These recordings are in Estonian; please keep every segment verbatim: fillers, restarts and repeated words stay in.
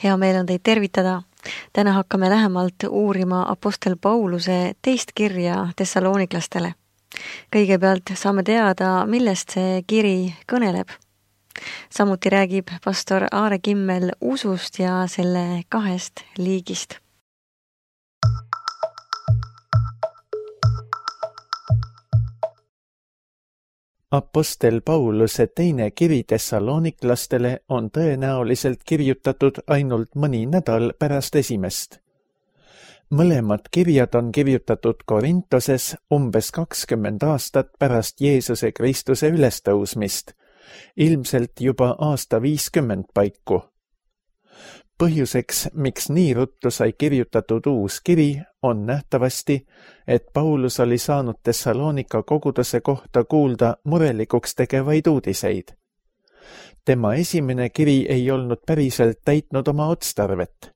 Hea meel on teid tervitada. Täna hakkame lähemalt uurima apostel Pauluse teist kirja Thessaloniklastele. Kõigepealt saame teada, millest see kiri kõneleb. Samuti räägib pastor Aare Kimmel usust ja selle kahest liigist. Apostel Pauluse teine kiri Thessaloniklastele on tõenäoliselt kirjutatud ainult mõni nädal pärast esimest. Mõlemad kirjad on kirjutatud Korintoses umbes kakskümmend aastat pärast Jeesuse Kristuse ülestõusmist, ilmselt juba aasta viiskümmend paiku. Põhjuseks, miks nii ruttu sai kirjutatud uus kiri, on nähtavasti, et Paulus oli saanud Thessalonika koguduse kohta kuulda murelikuks tegevaid uudiseid. Tema esimene kiri ei olnud päriselt täitnud oma otstarvet.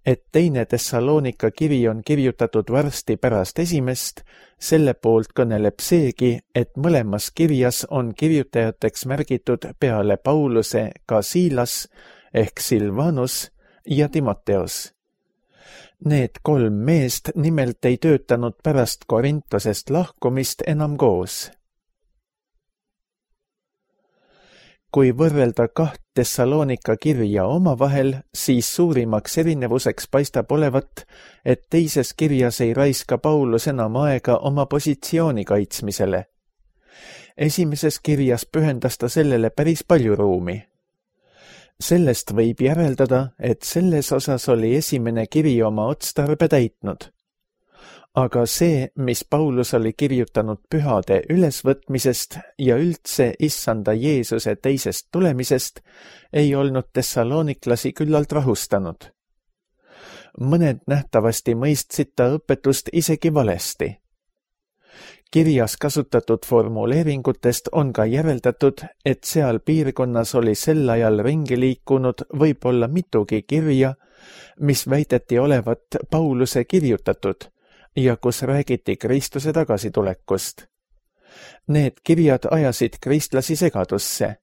Et teine Thessalonika kiri on kirjutatud varsti pärast esimest, selle poolt kõneleb seegi, et mõlemas kirjas on kirjutajateks märgitud peale Pauluse ka Siilas ehk Silvanus ja Timoteos. Need kolm meest nimelt ei töötanud pärast Korintosest lahkumist enam koos. Kui võrrelda kaht Thessalonika kirja omavahel, siis suurimaks erinevuseks paistab olevat, et teises kirjas ei raiska Paulus enam aega oma positsiooni kaitsmisele. Esimeses kirjas pühendas ta sellele päris palju ruumi. Sellest võib järeldada, et selles osas oli esimene kiri oma otstarbe täitnud. Aga see, mis Paulus oli kirjutanud pühade ülesvõtmisest ja üldse issanda Jeesuse teisest tulemisest, ei olnud Thessaloniklasi küllalt rahustanud. Mõned nähtavasti mõistsid ta õpetust isegi valesti. Kirjas kasutatud formuleeringutest on ka järeldatud, et seal piirkonnas oli sel ajal ringi liikunud võib-olla mitugi kirja, mis väideti olevat Pauluse kirjutatud ja kus räägiti Kristuse tagasitulekust. Need kirjad ajasid kristlasi segadusse.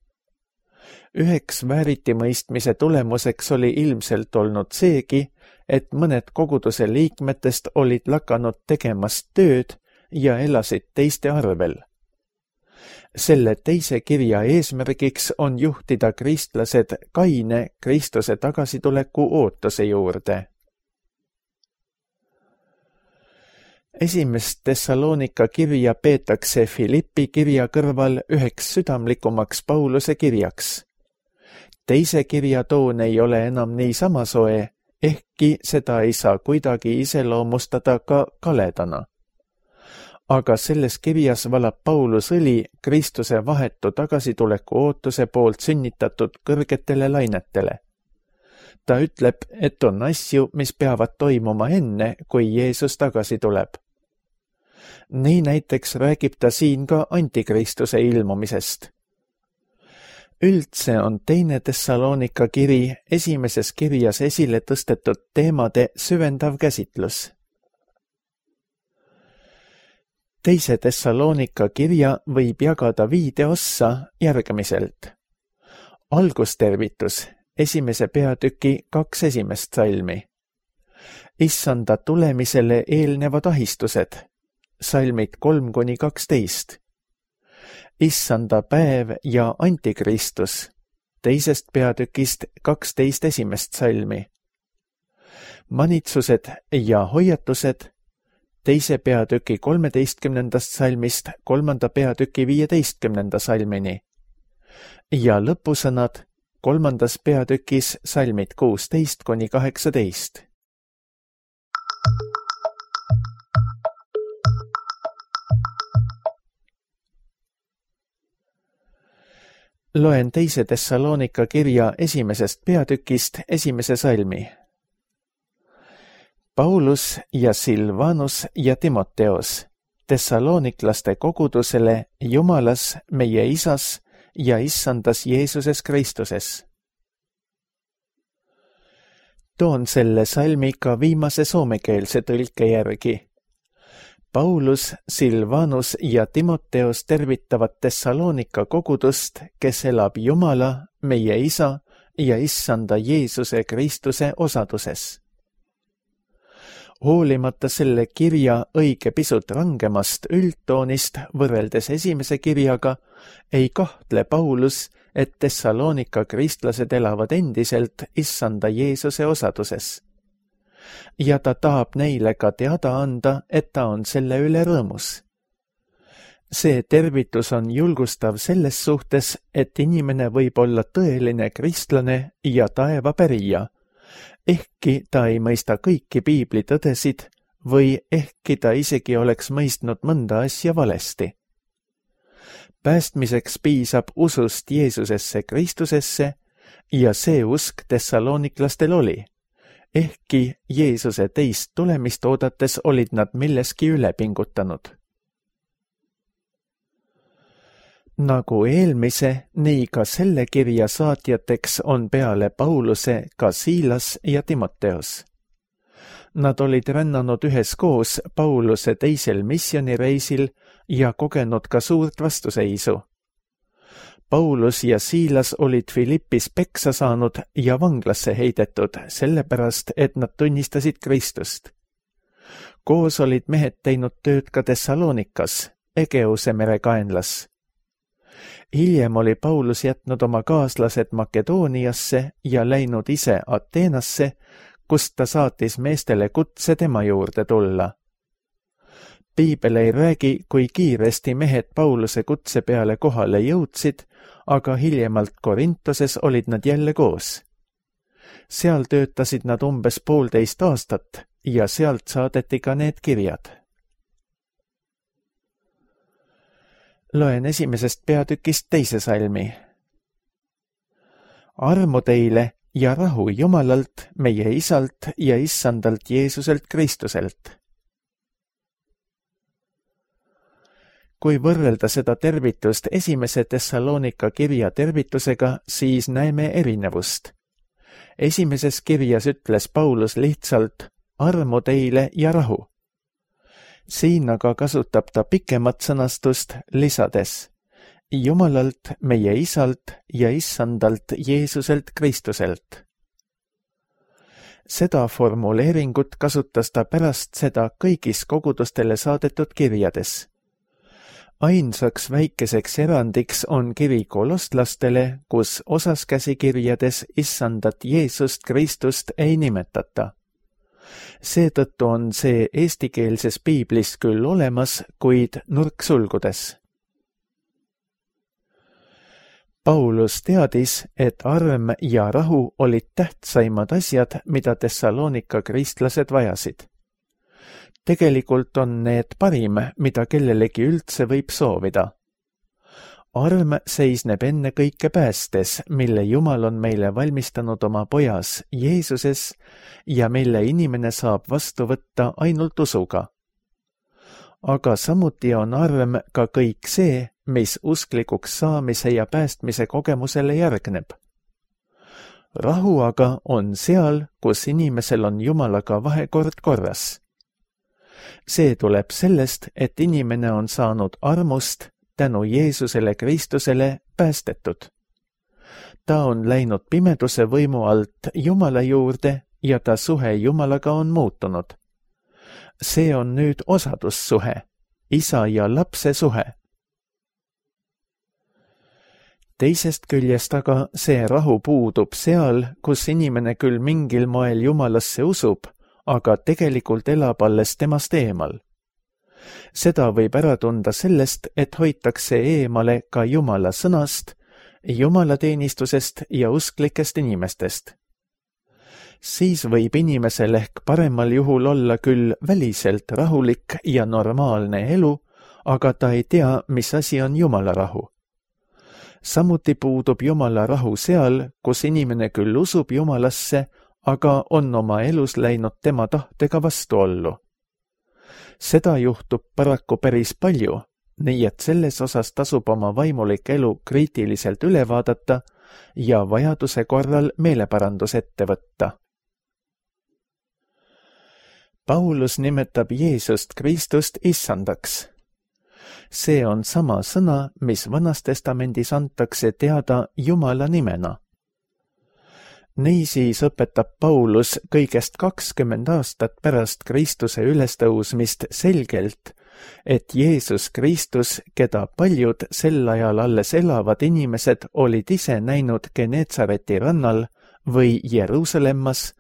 Üheks vääritimõistmise tulemuseks oli ilmselt olnud seegi, et mõned koguduse liikmetest olid lakanud tegemast tööd ja elasid teiste arvel. Selle teise kirja eesmärgiks on juhtida kristlased kaine Kristuse tagasituleku ootuse juurde. Esimest Thessalonika kirja peetakse Filippi kirja kõrval üheks südamlikumaks Pauluse kirjaks. Teise kirja toon ei ole enam nii samasoe, ehkki seda ei saa kuidagi iseloomustada ka kaledana. Aga selles kirjas valab Paulus õli Kristuse vahetu tagasituleku ootuse poolt sünnitatud kõrgetele lainetele. Ta ütleb, et on asju, mis peavad toimuma enne, kui Jeesus tagasi tuleb. Nii näiteks räägib ta siin ka antikristuse ilmumisest. Üldse on teine Thessalonika kiri esimeses kirjas esile tõstetud teemade süvendav käsitlus. Teise Thessalonika kirja võib jagada viide ossa järgmiselt. Algustervitus, esimese peatüki kaks esimest salmi. Issanda tulemisele eelnevad ahistused, salmid kolm kuni kaksteist. Issanda päev ja antikristus, teisest peatükist kaksteist esimest salmi. Manitsused ja hoiatused, teise peatüki kolmeteistkümnendast salmist kolmanda peatüki viieteistkümnenda salmini ja lõpusõnad kolmandas peatükis salmid kuusteist kuni kaheksateist. Loen teise Thessalonika kirja esimesest peatükist esimese salmi. Paulus ja Silvanus ja Timoteos, Thessaloniklaste kogudusele Jumalas, meie Isas ja Issandas Jeesuses Kristuses. Toon selle salmi ka viimase soomekeelse tõlke järgi. Paulus, Silvanus ja Timoteos tervitavad Thessalonika kogudust, kes elab Jumala, meie Isa ja issanda Jeesuse Kristuse osaduses. Hoolimata selle kirja õige pisut rangemast üldtoonist võrreldes esimese kirjaga, ei kahtle Paulus, et Thessalonika kristlased elavad endiselt issanda Jeesuse osaduses. Ja ta tahab neile ka teada anda, et ta on selle üle rõõmus. See tervitus on julgustav selles suhtes, et inimene võib olla tõeline kristlane ja taevapärija, ehkki ta ei mõista kõiki piibli tõdesid või ehkki ta isegi oleks mõistnud mõnda asja valesti. Päästmiseks piisab usust Jeesusesse Kristusesse ja see usk tessaloniklastel oli, ehkki Jeesuse teist tulemist oodates olid nad milleski üle pingutanud. Nagu eelmise, nii ka selle kirja saatjateks on peale Pauluse ka Siilas ja Timoteos. Nad olid rännanud üheskoos Pauluse teisel misjonireisil ja kogenud ka suurt vastuseisu. Paulus ja Siilas olid Filippis peksa saanud ja vanglasse heidetud, sellepärast, et nad tunnistasid Kristust. Koos olid mehed teinud tööd ka Thessalonikas, Egeuse mere kaenlas. Hiljem oli Paulus jätnud oma kaaslased Makedooniasse ja läinud ise Ateenasse, kust ta saatis meestele kutse tema juurde tulla. Piibel ei räägi, kui kiiresti mehed Pauluse kutse peale kohale jõudsid, aga hiljemalt Korintoses olid nad jälle koos. Seal töötasid nad umbes poolteist aastat ja sealt saadeti ka need kirjad. Loen esimesest peatükist teise salmi. Armu teile ja rahu Jumalalt, meie Isalt ja Issandalt Jeesuselt Kristuselt. Kui võrrelda seda tervitust esimese Thessalonika kirja tervitusega, siis näeme erinevust. Esimeses kirjas ütles Paulus lihtsalt armu teile ja rahu. Siin aga kasutab ta pikemat sõnastust lisades Jumalalt, meie Isalt ja Issandalt Jeesuselt Kristuselt. Seda formuleeringut kasutas ta pärast seda kõigis kogudustele saadetud kirjades. Ainsaks väikeseks erandiks on kiri kolostlastele, kus osas käsikirjades Issandat Jeesust Kristust ei nimetata. Seetõttu on see eestikeelses piiblis küll olemas, kuid nurksulgudes. Paulus teadis, et arm ja rahu olid tähtsaimad asjad, mida Thessalonika kristlased vajasid. Tegelikult on need parim, mida kellelegi üldse võib soovida. Arm seisneb enne kõike päästes, mille Jumal on meile valmistanud oma pojas Jeesuses ja mille inimene saab vastu võtta ainult usuga. Aga samuti on arm ka kõik see, mis usklikuks saamise ja päästmise kogemusele järgneb. Rahu aga on seal, kus inimesel on Jumalaga vahekord korras. See tuleb sellest, et inimene on saanud armust tänu Jeesusele Kristusele päästetud. Ta on läinud pimeduse võimu alt Jumala juurde ja ta suhe Jumalaga on muutunud. See on nüüd osadussuhe, isa ja lapse suhe. Teisest küljest aga see rahu puudub seal, kus inimene küll mingil moel Jumalasse usub, aga tegelikult elab alles temast eemal. Seda võib ära tunda sellest, et hoitakse eemale ka Jumala sõnast, jumalateenistusest ja usklikest inimestest. Siis võib inimesel ehk paremal juhul olla küll väliselt rahulik ja normaalne elu, aga ta ei tea, mis asi on Jumala rahu. Samuti puudub Jumala rahu seal, kus inimene küll usub Jumalasse, aga on oma elus läinud tema tahtega vastuollu. Seda juhtub paraku päris palju, nii et selles osas tasub oma vaimulik elu kriitiliselt üle vaadata ja vajaduse korral meeleparandus ette võtta. Paulus nimetab Jeesust Kristust issandaks. See on sama sõna, mis Vanas Testamendis antakse teada Jumala nimena. Niisiis õpetab Paulus kõigest kakskümmend aastat pärast Kristuse ülestõusmist selgelt, et Jeesus Kristus, keda paljud sel ajal alles elavad inimesed olid ise näinud Geneetsareti rannal või Jeruusalemmas,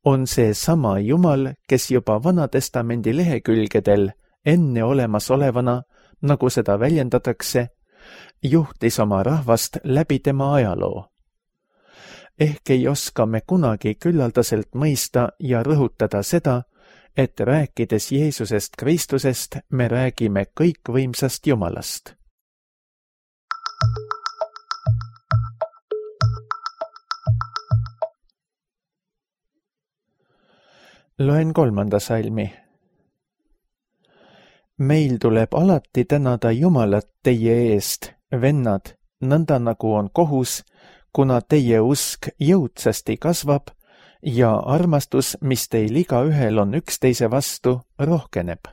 on see sama Jumal, kes juba Vanatestamendi lehekülgedel enne olemasolevana, nagu seda väljendatakse, juhtis oma rahvast läbi tema ajaloo. Ehk ei oska me kunagi küllaldaselt mõista ja rõhutada seda, et rääkides Jeesusest Kristusest, me räägime kõikvõimsast Jumalast. Loen kolmanda salmi. Meil tuleb alati tänada Jumalat teie eest, vennad, nõnda nagu on kohus, kuna teie usk jõudsasti kasvab ja armastus, mis teil igaühel on üksteise vastu, rohkeneb.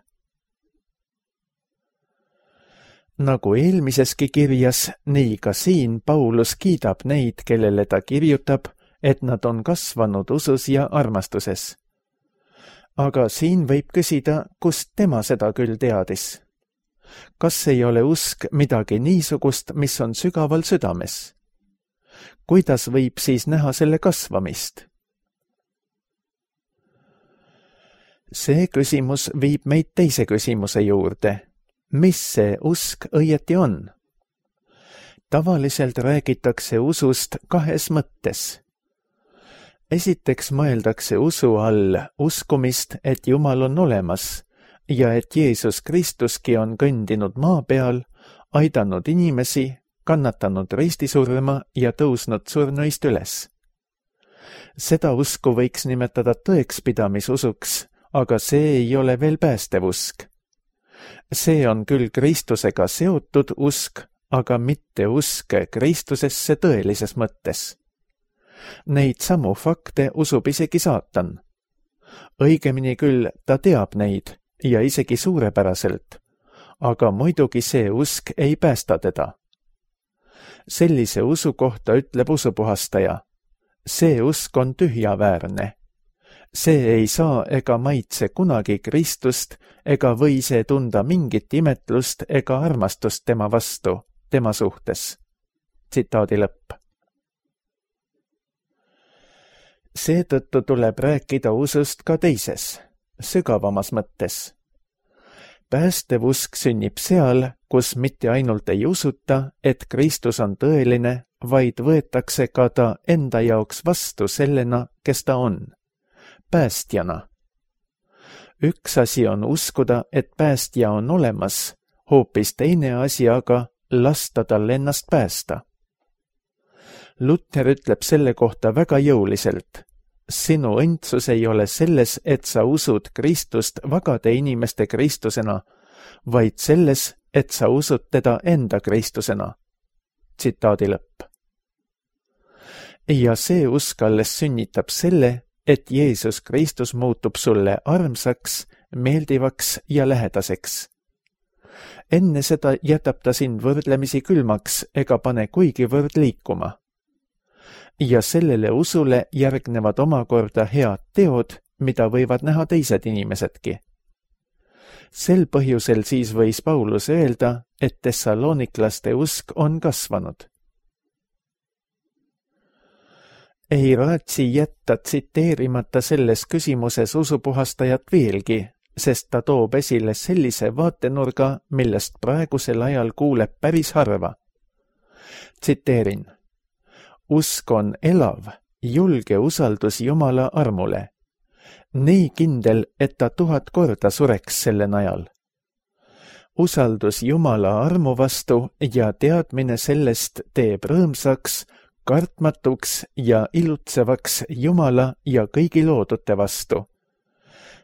Nagu eelmiseski kirjas, nii ka siin Paulus kiidab neid, kellele ta kirjutab, et nad on kasvanud usus ja armastuses. Aga siin võib küsida, kust tema seda küll teadis. Kas ei ole usk midagi niisugust, mis on sügaval südames? Kuidas võib siis näha selle kasvamist? See küsimus viib meid teise küsimuse juurde. Mis see usk õieti on? Tavaliselt räägitakse usust kahes mõttes. Esiteks mõeldakse usu all uskumist, et Jumal on olemas ja et Jeesus Kristuski on kõndinud maa peal, aidanud inimesi, kannatanud ristisurma ja tõusnud surnuist üles. Seda usku võiks nimetada tõekspidamisusuks, aga see ei ole veel päästev usk. See on küll Kristusega seotud usk, aga mitte usk Kristusesse tõelises mõttes. Neid samu fakte usub isegi saatan. Õigemini küll ta teab neid ja isegi suurepäraselt, aga muidugi see usk ei päästa teda. Sellise usu kohta ütleb usupuhastaja. See usk on tühjaväärne. See ei saa ega maitse kunagi Kristust ega või see tunda mingit imetlust ega armastust tema vastu, tema suhtes. Tsitaadi lõpp. Seetõttu tuleb rääkida usust ka teises, sügavamas mõttes. Päästev usk sünnib seal, kus mitte ainult ei usuta, et Kristus on tõeline, vaid võetakse ka ta enda jaoks vastu sellena, kes ta on, päästjana. Üks asi on uskuda, et päästja on olemas, hoopis teine asi aga lasta tal ennast päästa. Luther ütleb selle kohta väga jõuliselt. Sinu õndsus ei ole selles, et sa usud Kristust vagade inimeste Kristusena, vaid selles, et sa usud teda enda Kristusena. Tsitaadi lõpp. Ja see usk alles sünnitab selle, et Jeesus Kristus muutub sulle armsaks, meeldivaks ja lähedaseks. Enne seda jätab ta sind võrdlemisi külmaks ega pane kuigivõrd liikuma. Ja sellele usule järgnevad omakorda head teod, mida võivad näha teised inimesedki. Sel põhjusel siis võis Paulus öelda, et tessalooniklaste usk on kasvanud. Ei raatsi jätta tsiteerimata selles küsimuses usupuhastajat veelgi, sest ta toob esile sellise vaatenurga, millest praegusel ajal kuuleb päris harva. Tsiteerin. Usk on elav, julge usaldus Jumala armule. Nii kindel, et ta tuhat korda sureks selle najal. Usaldus Jumala armu vastu ja teadmine sellest teeb rõõmsaks, kartmatuks ja ilutsevaks Jumala ja kõigi loodute vastu.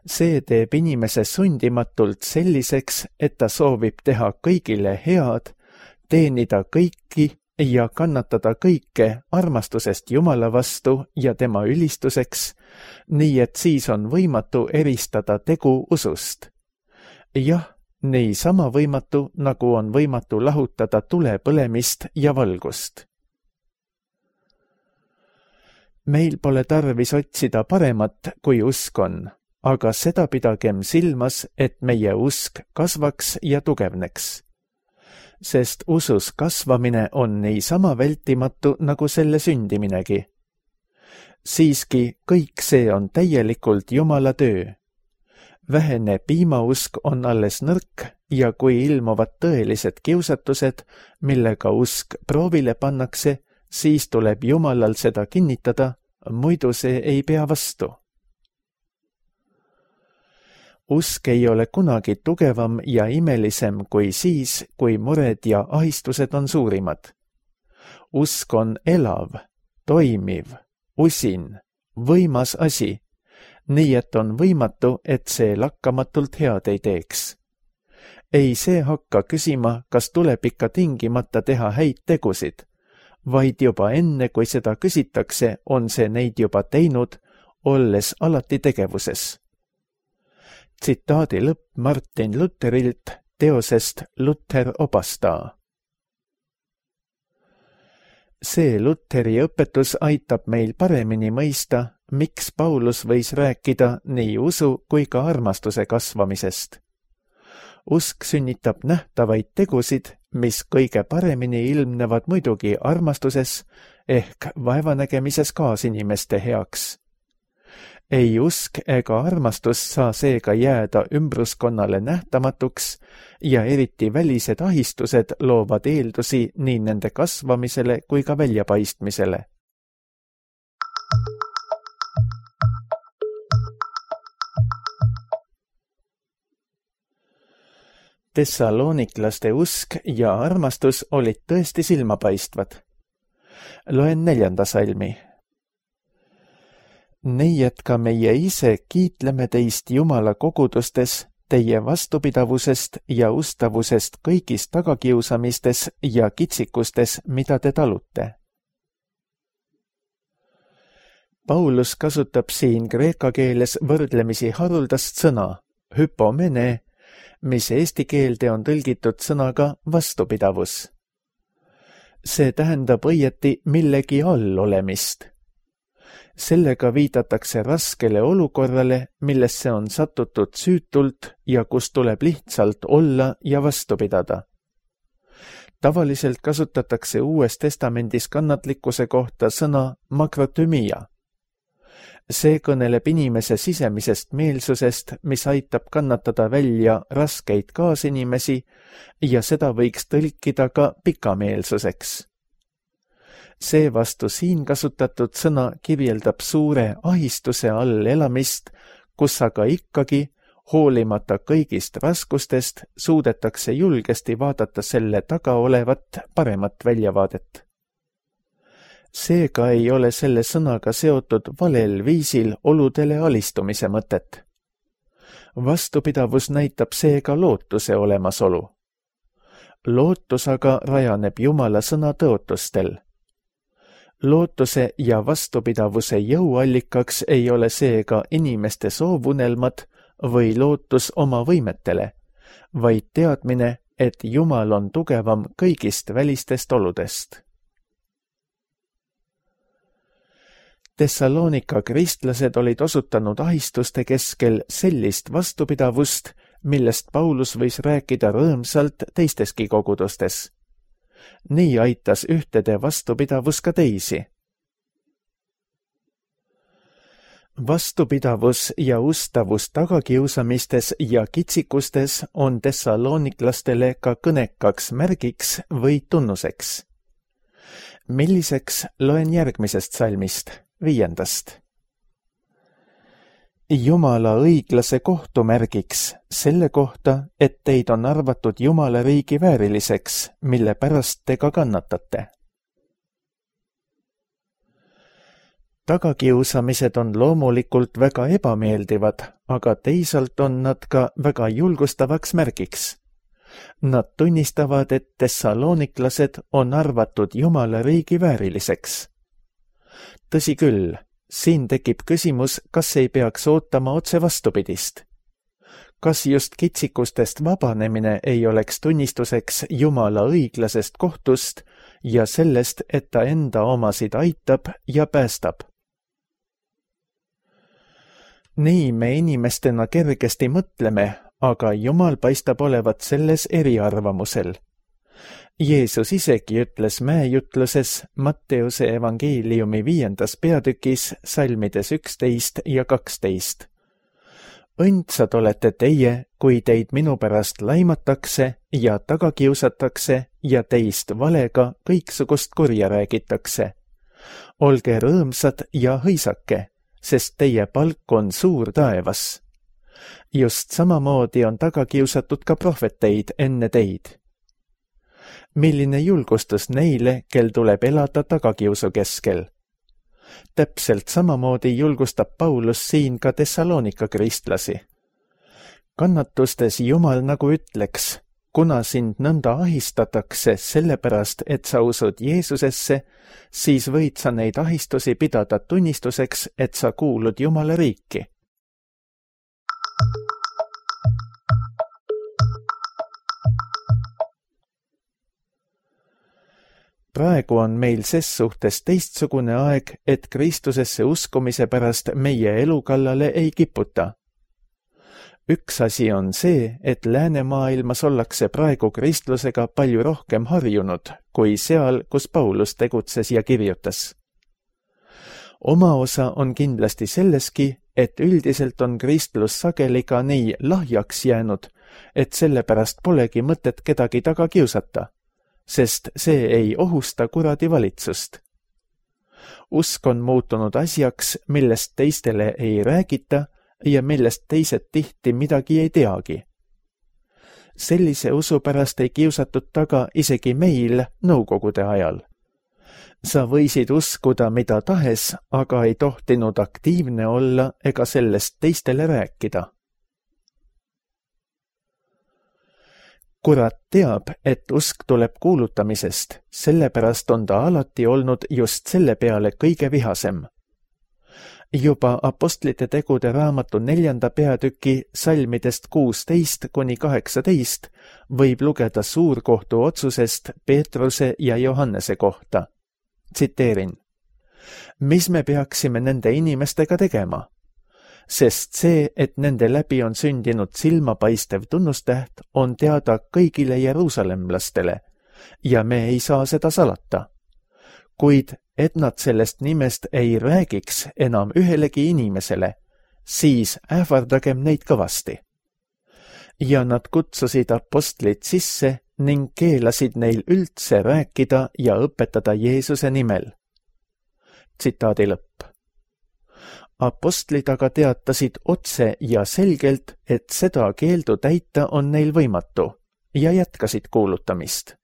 See teeb inimese sundimatult selliseks, et ta soovib teha kõigile head, teenida kõiki ja kannatada kõike armastusest Jumala vastu ja tema ülistuseks, nii et siis on võimatu eristada tegu usust. Jah, nii sama võimatu, nagu on võimatu lahutada tule põlemist ja valgust. Meil pole tarvis otsida paremat, kui usk on, aga seda pidagem silmas, et meie usk kasvaks ja tugevneks. Sest usus kasvamine on niisama vältimatu nagu selle sündiminegi. Siiski kõik see on täielikult Jumala töö. Vähene piimausk on alles nõrk ja kui ilmuvad tõelised kiusatused, millega usk proovile pannakse, siis tuleb Jumalal seda kinnitada, muidu see ei pea vastu. Usk ei ole kunagi tugevam ja imelisem kui siis, kui mured ja ahistused on suurimad. Usk on elav, toimiv, usin, võimas asi, nii et on võimatu, et see lakkamatult head ei teeks. Ei see hakka küsima, kas tuleb ikka tingimata teha häid tegusid, vaid juba enne, kui seda küsitakse, on see neid juba teinud, olles alati tegevuses. Tsitaadi lõpp Martin Lutherilt teosest Luther opastaa. See Lutheri õpetus aitab meil paremini mõista, miks Paulus võis rääkida nii usu kui ka armastuse kasvamisest. Usk sünnitab nähtavaid tegusid, mis kõige paremini ilmnevad muidugi armastuses ehk vaevanägemises kaasinimeste heaks. Ei usk ega armastus saa seega jääda ümbruskonnale nähtamatuks ja eriti välised ahistused loovad eeldusi nii nende kasvamisele kui ka väljapaistmisele. Thessaloniklaste usk ja armastus olid tõesti silmapaistvad. Loen neljanda salmi. Nii et ka meie ise kiitleme teist Jumala kogudustes, teie vastupidavusest ja ustavusest kõigis tagakiusamistes ja kitsikustes, mida te talute. Paulus kasutab siin kreeka keeles võrdlemisi haruldast sõna, hypomene, mis eesti keelde on tõlgitud sõnaga vastupidavus. See tähendab õieti millegi all olemist. Sellega viidatakse raskele olukorrale, millesse on satutud süütult ja kus tuleb lihtsalt olla ja vastu pidada. Tavaliselt kasutatakse Uues Testamendis kannatlikkuse kohta sõna makrotümia. See kõneleb inimese sisemisest meelsusest, mis aitab kannatada välja raskeid kaasinimesi ja seda võiks tõlkida ka pikameelsuseks. Seevastu siin kasutatud sõna kirjeldab suure ahistuse all elamist, kus aga ikkagi, hoolimata kõigist raskustest, suudetakse julgesti vaadata selle taga olevat paremat väljavaadet. Seega ei ole selle sõnaga seotud valel viisil oludele alistumise mõtet. Vastupidavus näitab seega lootuse olemasolu. Lootus aga rajaneb Jumala sõna tõotustel. Lootuse ja vastupidavuse jõuallikaks ei ole seega inimeste soovunelmad või lootus oma võimetele, vaid teadmine, et Jumal on tugevam kõigist välistest oludest. Thessalonika kristlased olid osutanud ahistuste keskel sellist vastupidavust, millest Paulus võis rääkida rõõmsalt teisteski kogudustes. Nii aitas ühtede vastupidavus ka teisi. Vastupidavus ja ustavus tagakiusamistes ja kitsikustes on thessaloniklastele ka kõnekaks märgiks või tunnuseks. Milliseks loen järgmisest salmist, viiendast. Jumala õiglase kohtumärgiks selle kohta, et teid on arvatud Jumala riigi vääriliseks, mille pärast te ka kannatate. Tagakiusamised on loomulikult väga ebameeldivad, aga teisalt on nad ka väga julgustavaks märgiks. Nad tunnistavad, et thessaloniklased on arvatud Jumala riigi vääriliseks. Tõsi küll, siin tekib küsimus, kas ei peaks ootama otse vastupidist. Kas just kitsikustest vabanemine ei oleks tunnistuseks Jumala õiglasest kohtust ja sellest, et ta enda omasid aitab ja päästab? nii me inimestena kergesti mõtleme, aga Jumal paistab olevat selles eriarvamusel. Jeesus isegi ütles mäejutluses Matteuse evangeeliumi viiendas peatükis salmides üksteist ja kaksteist. Õndsad olete teie, kui teid minu pärast laimatakse ja taga kiusatakse ja teist valega kõiksugust kurja räägitakse. Olge rõõmsad ja hõisake, sest teie palk on suur taevas. Just samamoodi on taga kiusatud ka prohveteid enne teid. Milline julgustus neile, kel tuleb elada tagakiusu keskel. Täpselt samamoodi julgustab Paulus siin ka Thessalonika kristlasi. Kannatustes Jumal nagu ütleks, kuna sind nõnda ahistatakse sellepärast, et sa usud Jeesusesse, siis võid sa neid ahistusi pidada tunnistuseks, et sa kuulud Jumala riiki. Praegu on meil ses suhtes teistsugune aeg, et Kristusesse uskumise pärast meie elu kallale ei kiputa. Üks asi on see, et läänemaailmas ollakse praegu kristlusega palju rohkem harjunud, kui seal, kus Paulus tegutses ja kirjutas. Oma osa on kindlasti selleski, et üldiselt on kristlus sageli ka nii lahjaks jäänud, et sellepärast polegi mõtet kedagi taga kiusata, sest see ei ohusta kuradi valitsust. Usk on muutunud asjaks, millest teistele ei räägita ja millest teised tihti midagi ei teagi. Sellise usu pärast ei kiusatud taga isegi meil nõukogude ajal. Sa võisid uskuda mida tahes, aga ei tohtinud aktiivne olla ega sellest teistele rääkida. Kurat teab, et usk tuleb kuulutamisest, sellepärast on ta alati olnud just selle peale kõige vihasem. Juba Apostlite tegude raamatu neljanda peatüki salmidest kuusteist kuni kaheksateist võib lugeda suurkohtu otsusest Peetruse ja Johannese kohta. Tsiteerin. Mis me peaksime nende inimestega tegema? Sest see, et nende läbi on sündinud silmapaistev tunnustäht, on teada kõigile jeruusalemlastele ja me ei saa seda salata. Kuid et nad sellest nimest ei räägiks enam ühelegi inimesele, siis ähvardagem neid kõvasti. Ja nad kutsusid apostlid sisse ning keelasid neil üldse rääkida ja õpetada Jeesuse nimel. Tsitaadi lõpp. Apostlid aga teatasid otse ja selgelt, et seda keeldu täita on neil võimatu ja jätkasid kuulutamist.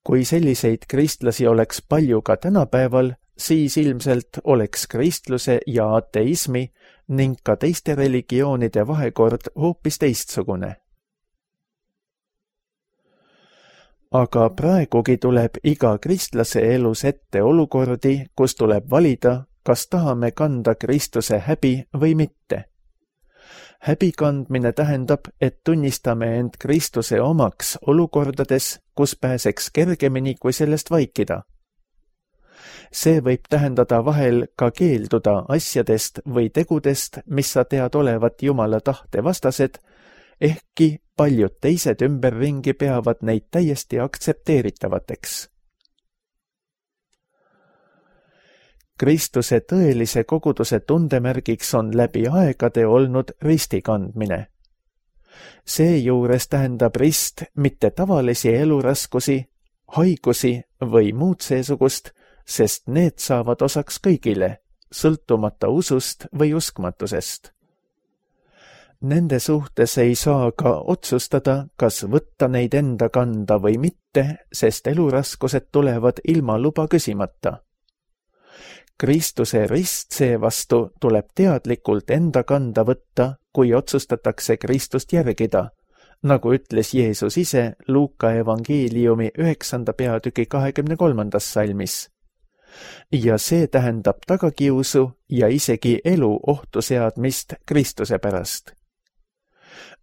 Kui selliseid kristlasi oleks palju ka tänapäeval, siis ilmselt oleks kristluse ja ateismi ning ka teiste religioonide vahekord hoopis teistsugune. Aga praegugi tuleb iga kristlase elus ette olukordi, kus tuleb valida, kas tahame kanda Kristuse häbi või mitte. Häbi kandmine tähendab, et tunnistame end Kristuse omaks olukordades, kus pääseks kergemini kui sellest vaikida. See võib tähendada vahel ka keelduda asjadest või tegudest, mis sa tead olevat Jumala tahte vastased, ehkki paljud teised ümberringi peavad neid täiesti aktsepteeritavateks. Kristuse tõelise koguduse tundemärgiks on läbi aegade olnud risti kandmine. Seejuures tähendab rist mitte tavalisi eluraskusi, haigusi või muud seesugust, sest need saavad osaks kõigile, sõltumata usust või uskmatusest. Nende suhtes ei saa ka otsustada, kas võtta neid enda kanda või mitte, sest eluraskused tulevad ilma luba küsimata. Kristuse rist seevastu tuleb teadlikult enda kanda võtta, kui otsustatakse Kristust järgida, nagu ütles Jeesus ise Luuka evangeeliumi üheksanda peatüki kahekümne kolmandas salmis. Ja see tähendab tagakiusu ja isegi elu ohtu seadmist Kristuse pärast.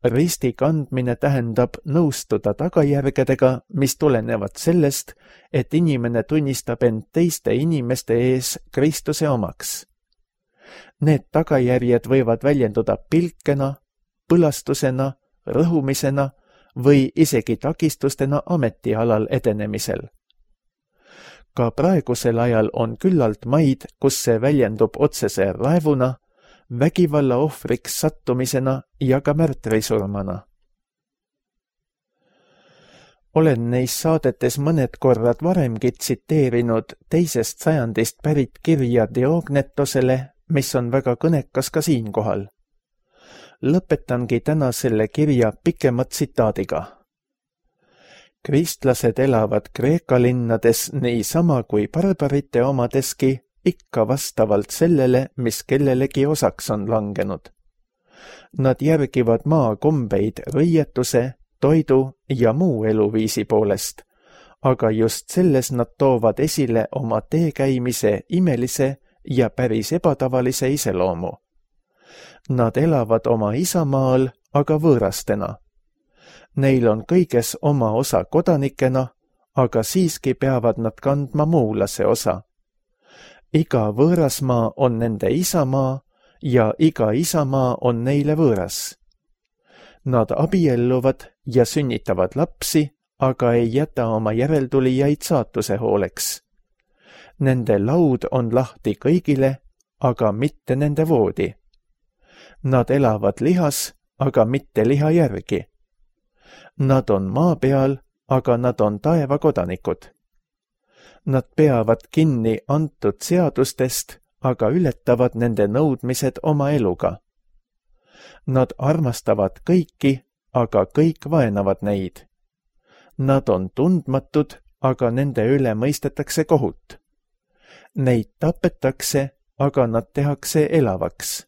Risti kandmine tähendab nõustuda tagajärgedega, mis tulenevad sellest, et inimene tunnistab end teiste inimeste ees Kristuse omaks. Need tagajärjed võivad väljenduda pilkena, põlastusena, rõhumisena või isegi takistustena ametialal edenemisel. Ka praegusel ajal on küllalt maid, kus see väljendub otsese raevuna, vägivalla ohvriks sattumisena ja ka märtrisurmana. Olen neis saadetes mõned korrad varemgi tsiteerinud teisest sajandist pärit kirja Diognetosele, mis on väga kõnekas ka siinkohal. Lõpetangi täna selle kirja pikema tsitaadiga. Kristlased elavad Kreeka linnades niisama kui barbarite omadeski, ikka vastavalt sellele, mis kellelegi osaks on langenud. Nad järgivad maakombeid rõietuse, toidu ja muu eluviisi poolest, aga just selles nad toovad esile oma teekäimise imelise ja päris ebatavalise iseloomu. Nad elavad oma isamaal, aga võõrastena. Neil on kõiges oma osa kodanikena, aga siiski peavad nad kandma muulase osa. Iga võõrasmaa on nende isamaa ja iga isamaa on neile võõras. Nad abielluvad ja sünnitavad lapsi, aga ei jäta oma järeltulijaid saatuse hooleks. Nende laud on lahti kõigile, aga mitte nende voodi. Nad elavad lihas, aga mitte liha järgi. Nad on maa peal, aga nad on taeva kodanikud. Nad peavad kinni antud seadustest, aga ületavad nende nõudmised oma eluga. Nad armastavad kõiki, aga kõik vaenavad neid. Nad on tundmatud, aga nende üle mõistetakse kohut. Neid tapetakse, aga nad tehakse elavaks.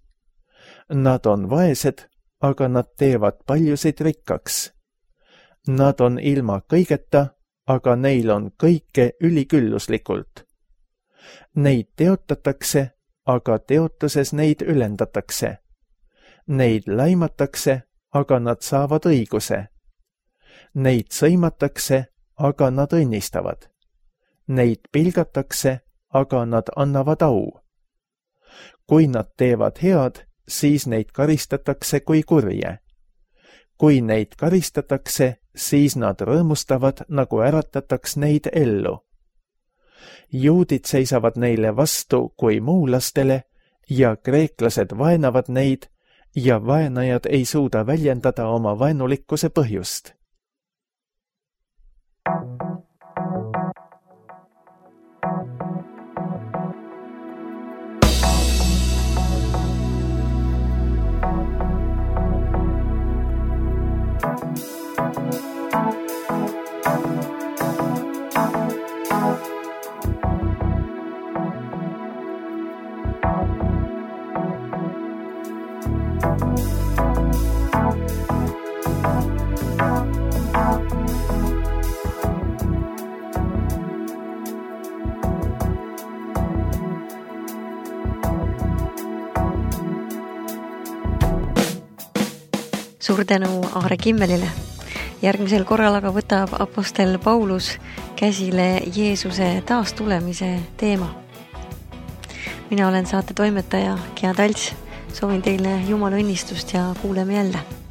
Nad on vaesed, aga nad teevad paljusid rikkaks. Nad on ilma kõigeta, aga neil on kõike ülikülluslikult. Neid teotatakse, aga teotuses neid ülendatakse. Neid laimatakse, aga nad saavad õiguse. Neid sõimatakse, aga nad õnnistavad. Neid pilgatakse, aga nad annavad au. Kui nad teevad head, siis neid karistatakse kui kurje. Kui neid karistatakse, siis nad rõõmustavad, nagu äratataks neid ellu. Juudid seisavad neile vastu kui muulastele ja kreeklased vaenavad neid ja vaenajad ei suuda väljendada oma vaenulikkuse põhjust. Suur tänu Aare Kimmelile. Järgmisel korral aga võtab apostel Paulus käsile Jeesuse taastulemise teema. Mina olen saate toimetaja Gea Talts. Soovin teile Jumala õnnistust ja kuuleme jälle.